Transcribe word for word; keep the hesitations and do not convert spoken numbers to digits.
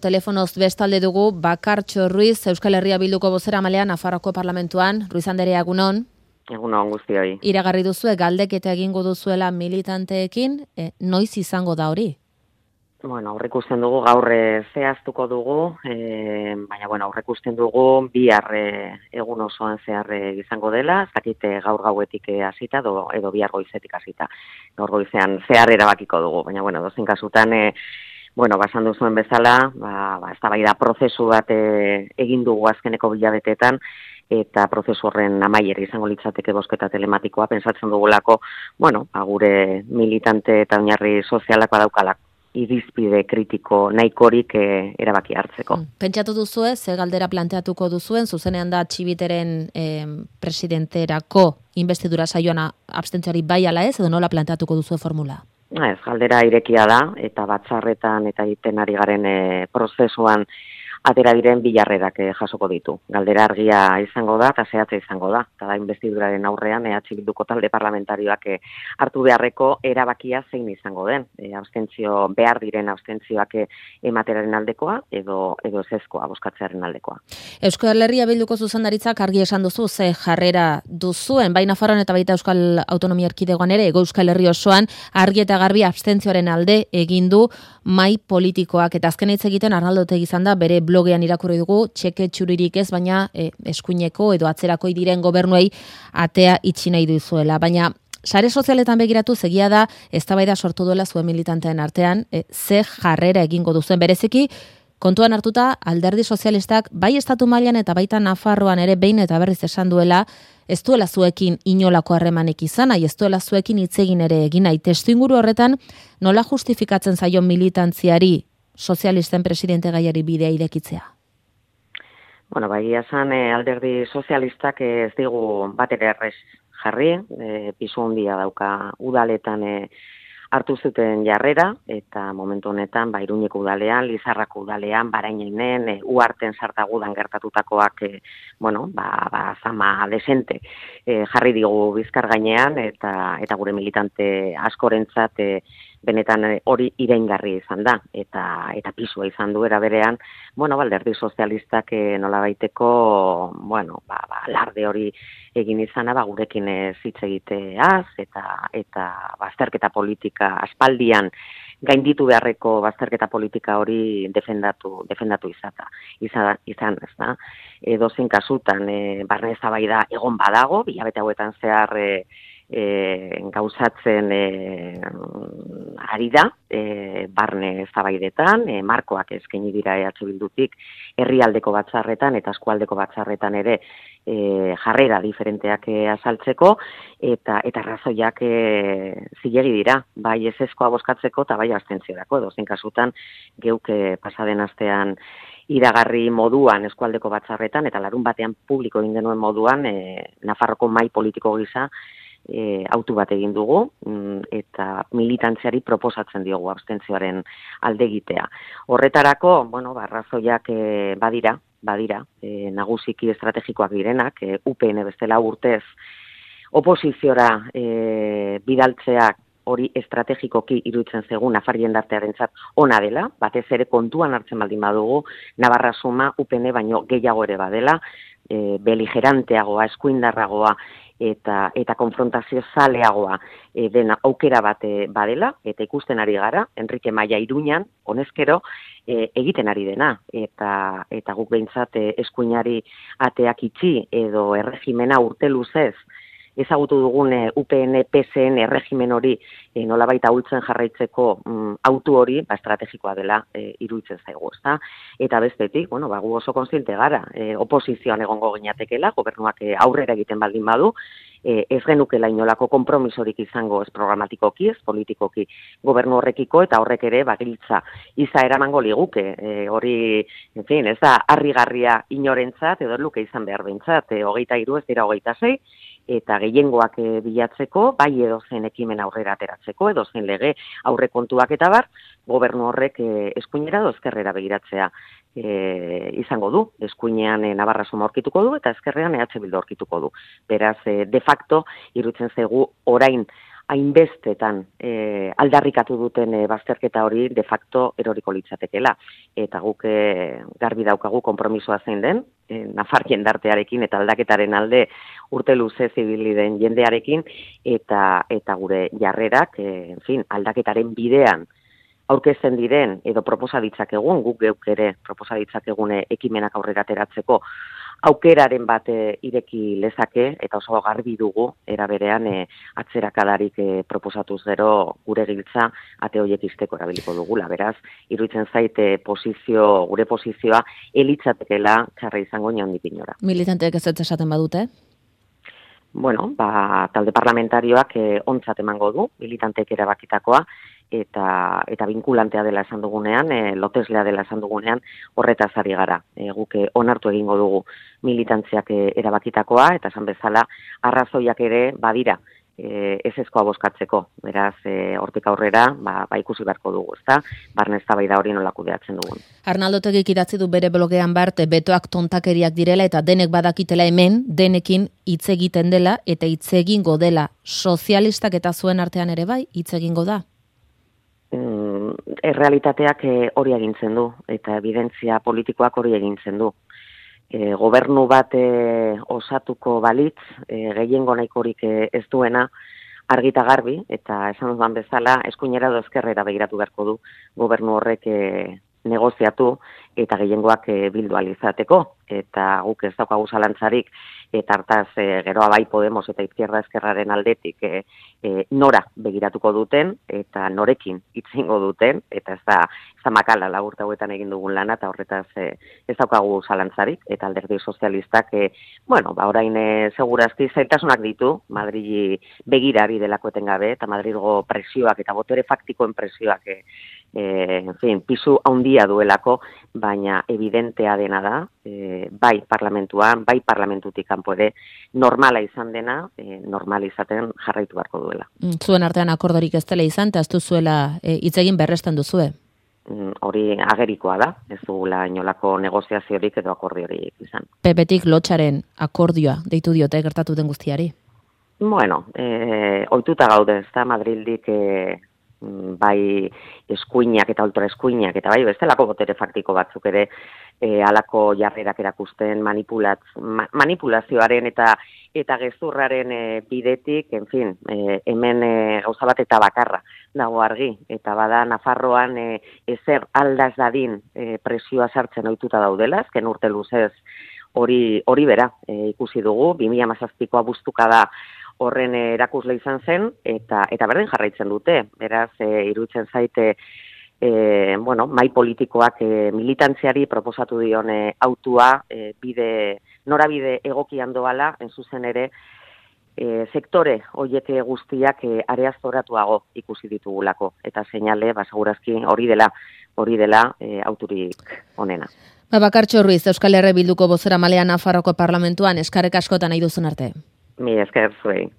Telefonoz bestalde dugu Bakartxo Ruiz, Euskal Herria Bilduko bozeramailean Nafarroako Parlamentuan. Ruiz Anderea, egunon. Egunon guztioi. Iragarri duzue galdeketa egingo duzuela militanteekin, e, noiz izango da hori? Bueno, aurreikusten dugu gaur zehaztuko dugu, e, baina bueno, aurreikusten dugu bihar e, egun osoan zehar izango dela, ez dakit gaur gauetik hasita edo, edo bihar goizetik hasita. Gaur goizean zehar erabakiko dugu, baina bueno, dozein kasutan e, Bueno, basan duzuen bezala, ba, ba, ez da bai da prozesu bat e, egin dugu azkeneko bilabeteetan, eta prozesu horren amaier izango litzateke bozketa telematikoa, pentsatzen dugulako, bueno, ba, gure militante eta oinarri sozialak badaukalak irizpide kritiko nahikorik e, erabaki hartzeko. Pentsatu duzue, ze galdera planteatuko duzuen, zuzenean da Txibiteren eh, presidenterako investidura saioan abstentziari bai ala ez, edo nola planteatuko duzue formula? Ez, galdera irekia da, eta batzarretan eta egiten ari garen e, prozesuan atera diren bilarrerak e, jasoko ditu. Galdera argia izango da, eta zehatza izango da. Eta da, investiduraren aurrean, E H Bilduko talde parlamentarioak e, hartu beharreko erabakia zein izango den. E, abstentzio, behar diren abstentzioak e, emateraren aldekoa, edo, edo ezezkoa, bozkatzearen aldekoa. Euskal Herria Bilduko zuzendaritzak argi esan duzu, ze jarrera duzuen, bai Nafarroan eta baita Euskal Autonomia Erkidegoan ere, Ego Euskal Herri osoan, argi eta garbi abstentzioaren alde egin du mai politikoak, eta azken hitz egiten Arnaldo Otegi izan da, bere blogean irakurri dugu, txeke txuririk ez, baina e, eskuineko edo atzerakoi diren gobernuei atea itxi nahi duzuela. Baina sare sozialetan begiratu egia da, eztabaida sortu duela zuen militanteen artean, e, ze jarrera egingo duzuen bereziki, kontuan hartuta Alderdi Sozialistak bai estatu mailan eta baita Nafarroan ere behin eta berriz esan duela, ez duela zuekin inolako harremanik izan, nahi ez duela zuekin hitz egin ere egin nahi. Testuinguru horretan nola justifikatzen zaio militantziari sozialisten presidente gaiari bidea irekitzea? Bueno, bai, esan e, Alderdi Sozialistak ez digu bat ere errez jarri, e, pisu handia dauka udaletan e, hartu zuten jarrera, eta momentu honetan, ba, Iruñeko udalean, Lizarrako udalean, Barainenen, e, Uharten sartagudan gertatutakoak, e, bueno, ba, ba, zama desente e, jarri digu bizkar gainean, eta, eta gure militante askorentzat e, benetan hori iraingarri izan da, eta eta pisua izan du era berean, bueno, Alderdi Sozialistak e, nolabaiteko, bueno, ba, ba, larde hori egin izana, ba, gurekin ez hitz egiteaz, eta, eta bazterketa politika aspaldian gainditu beharreko bazterketa politika hori defendatu, defendatu izata, izan, izan ez da. Edozein kasutan, e, barne eztabaida egon badago, bilabete hauetan zehar e, E, gauzatzen e, ari da, e, barne eztabaidetan, e, markoak eskaini dira E H Bildutik herrialdeko batzarretan eta eskualdeko batzarretan ere e, jarrera diferenteak e, azaltzeko, eta eta razoiak e, zilegi dira, bai ezezkoa bozkatzeko eta bai abstentziorako, edozein kasutan geuk e, pasaden astean iragarri moduan eskualdeko batzarretan, eta larun batean publiko egin denuen moduan, e, Nafarroko mahai politiko gisa, E, autu bat egin dugu, eta militantziari proposatzen diogu abstentzioaren alde egitea. Horretarako, bueno, barrazoiak e, badira, badira, e, nagusiki estrategikoak direnak, e, U P N bestela urtez oposiziora e, bidaltzeak hori estrategikoki iruditzen zegun Nafar jendartearentzat ona dela, batez ere kontuan hartzen baldin badugu, Navarra suma U P N baino gehiago ere badela, e, beligeranteagoa, eskuindarragoa, eta eta konfrontazio zaleagoa e, dena aukera bat badela, eta ikusten ari gara, Enrique Maia Iruñan, honezkero, e, egiten ari dena, eta eta guk behintzat e, eskuinari ateak itxi, edo erregimena urte luzez, ezagutu dugun e, U P N P S N erregimen hori e, nolabait ahultzen jarraitzeko mm, autu hori, ba, estrategikoa dela e, iruditzen zaigu, ezta? Eta bestetik, bueno, ba, gu oso kontziente gara, e, oposizioan egongo ginatekela, gobernuak e, aurrera egiten baldin badu, e, ez genukela inolako konpromisorik izango ez programatikoki, ez politikoki gobernu horrekiko, eta horrek ere bagiltza iza eramango liguke, e, hori, en fin, ez da, harrigarria inorentzat, edo luke izan behar behintzat, e, hogeita hiru ez dira hogeita sei, eta gehiengoak e, bilatzeko, bai edozein ekimen aurrera ateratzeko, edozein lege aurrekontuak eta bar, gobernu horrek e, eskuinera edo ezkerrera begiratzea e, izango du. Eskuinean e, Navarra suma aurkituko du, eta ezkerrean E H Bildu aurkituko du. Beraz, e, de facto, iruditzen zaigu orain hainbestetan e, aldarrikatu duten e, bazterketa hori de facto eroriko litzatekela. Eta guk e, garbi daukagu konpromisoa zein den, e, Nafar jendartearekin eta aldaketaren alde urte luze zibili den jendearekin, eta eta gure jarrerak, e, en fin, aldaketaren bidean aurkezten diren, edo proposa ditzakegun, guk geuk ere proposa ditzakegune ekimenak aurrera ateratzeko, aukeraren bat e, ireki lezake, eta oso garbi dugu, era berean e, atzerakadarik e, proposatuz gero gure giltza ate horiek izteko erabiliko dugula. Beraz, iruditzen zaite posizio, gure posizioa elitzatekela txarra izango inondik inora. Militanteek ez ez esaten badute? Bueno, ba, talde parlamentarioak e, ontzat emango du, militanteek erabakitakoa, eta eta vinkulantea dela esan dugunean, e, loteslea dela esan dugunean, horretaz ari gara. E, guk onartu egingo dugu militantziak e, erabakitakoa, eta esan bezala arrazoiak ere badira e, ezezkoa bozkatzeko. Beraz, e, hortik aurrera, ba, ba ikusi beharko dugu, ezta? Barne eztabaida hori nola kudeatzen dugun. Arnaldo Otegik idatzi du bere blogean bart, betoak tontakeriak direla eta denek badakitela hemen, denekin hitz egiten dela eta hitz egingo dela. Sozialistak eta zuen artean ere bai, hitz egingo da? Errealitateak hori egintzen du, eta evidentzia politikoak hori egintzen du. E, gobernu bat e, osatuko balitz, e, gehiengo nahikorik e, ez duena, argita garbi, eta esan dudan bezala, eskuinera edo ezkerrera begiratu beharko du gobernu horrek e, negoziatu eta gehiengoak e, bildu alizateko, eta guk ez daukagu zalantzarik, eta hartaz e, geroa bai Podemos eta Izquierda Ezkerraren aldetik e, e, nora begiratuko duten, eta norekin itzingo duten, eta ez da, ez da makala laburte hauetan egin dugun lana, eta horretaz e, ez daukagu zalantzarik, eta alderdi sozialistak, e, bueno, ba orain e, segurazki zailtasunak ditu, Madrili begirari delako etengabe, eta Madrilgo presioak eta botere faktikoen presioak e, E, en fin, pisu handia duelako, baina evidentea dena da, e, bai parlamentuan, bai parlamentutik kanpo ere normala izan dena, e, normal izaten jarraitu beharko duela. Zuen artean akordorik ez dela izan, eta ez duzuela hitz egin berresten duzue? Hori agerikoa da, ez dugula inolako negoziaziorik edo akordiorik izan. Pepetik lotxaren akordioa deitu diote gertatu den guztiari? Bueno, e, ohituta gaude, ez da, Madrildik e, bai eskuinak eta ultra eskuinak, eta bai bestelako botere faktiko batzuk ere e, alako jarrerak erakusten manipulatz, ma, manipulazioaren eta eta gezurraren e, bidetik, en fin, e, hemen e, gauza bat eta bakarra dago argi, eta bada Nafarroan e, ezer aldaz dadin e, presioa sartzen ohituta daudela, azken urte luzez hori hori bera e, ikusi dugu, bi mila hamazazpiko abuztuka da horren erakusle izan zen, eta eta berdin jarraitzen dute. Beraz, e, iruditzen zaite, e, bueno, mai politikoak e, militantziari proposatu dion e, autua, e, bide, norabide egokian doala, en zuzen ere, e, sektore hoiek guztiak e, areaztoratuago ikusi ditugulako. Eta seinale, ba, segurazki hori dela, hori dela e, auturik onena. Ba, Bakartxo Ruiz, Euskal Herria Bilduko bozeramalea Nafarroko Parlamentuan, eskarrek askotan nahi duzun arte. Mi esker zuei.